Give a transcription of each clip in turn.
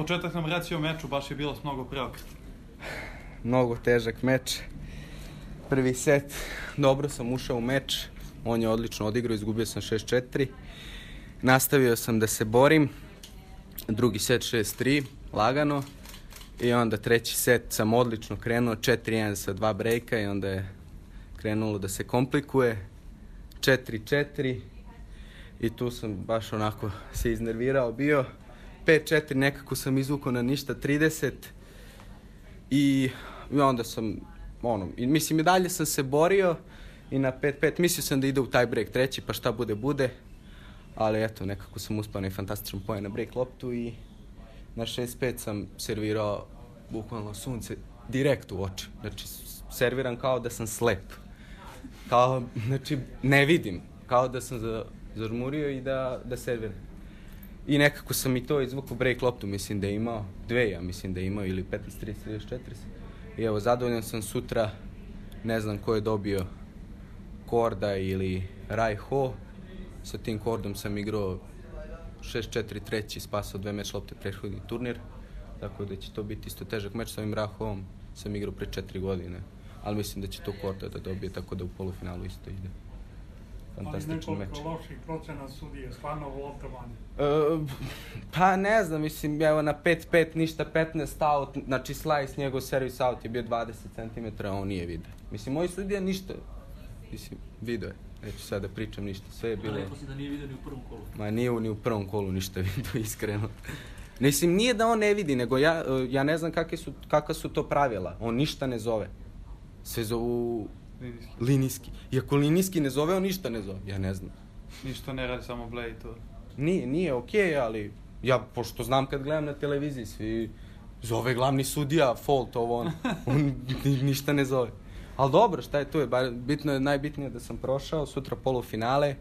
početak nam reci o meču, baš je bilo mnogo preokret. Mnogo težak meč. Prvi set, dobro sam ušao u meč, on je odlično odigrao, izgubio sam 6-4. Nastavio sam da se borim, drugi set 6-3, lagano. I onda treći set sam odlično krenuo, 4-1 sa 2 brejka i onda je krenulo da se komplikuje. 4-4 i tu sam baš onako se iznervirao bio. 5-4 nekako sam izvukao na ništa 30 i onda sam mislim i dalje sam se borio i na 5-5 mislio sam da ide u taj break treći pa šta bude, ali eto nekako sam uspao na fantastičan poen na break loptu i na 6-5 sam servirao bukvalno sunce direkt u oči, znači serviram kao da sam slep, znači ne vidim, kao da sam zažmurio i da serviram. I nekako sam i to izvukao break loptu, mislim da je imao, ili 15-30-34. I evo, zadovoljan sam sutra, ne znam ko je dobio Korda ili Raj-Ho. Sa tim Kordom sam igrao 6-4 treći, spasao 2 meč lopte prethodni turnir. Tako da će to biti isto težak meč. Sa ovim Raj-Hoom sam igrao pre 4 godine. Ali mislim da će to Korda da dobije, tako da u polufinalu isto ide. Fantastičan meč. Ali nekoliko loših procena sudije, stvarno loptovanje? Pa ne znam, mislim, evo na 5-5 ništa, 15 out, znači slice, njegov servis out je bio 20 cm, a on nije vidio. Mislim, moj sudija ništa, mislim, vidio je, neću sad da pričam ništa, sve je bilo... Rekao si da nije vidio ni u prvom kolu. Ma nije ni u prvom kolu ništa vidio, iskreno. Mislim, nije da on ne vidi, nego ja ne znam kakva su to pravila, on ništa ne zove. Sve zovu... linijski. Iako linijski ne zove, on ništa ne zove. Ja ne znam. Ništa ne radi, samo Blej to. Nije okej, ali ja, pošto znam kad gledam na televiziji, svi zove glavni sudija, fault, ovo on. On ništa ne zove. Ali dobro, šta je tu? Najbitnije da sam prošao, sutra polufinale.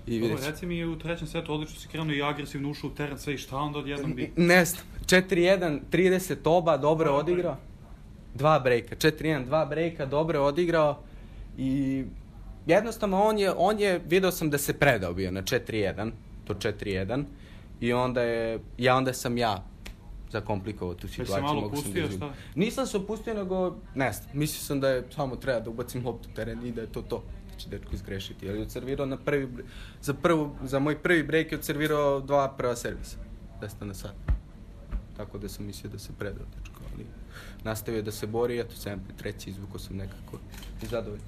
Dobro, reci mi u trećem setu odlično si krenuo i agresivno ušao u teren sve i šta onda odjednom bi? Ne znam. 4-1, 30 oba, dobro odigrao. 2 brejka, 4-1, 2 brejka, dobro odigrao i jednostavno on je, video sam da se predao bio na 4-1, to 4-1 i onda sam ja zakomplikovao tu situaciju. Jesi malo pustio šta? Nisam se opustio, nego ne znam, mislio sam da je samo treba da ubacim loptu u teren i da je to. Da će dečko izgrešiti, ali je odservirao za moj prvi brejk je odservirao 2 prva servisa, 10 na sat. Tako da sam mislio da se predao dečko, ali nastavio da se bori, eto 7-3 izvukao sam nekako i zadovoljno.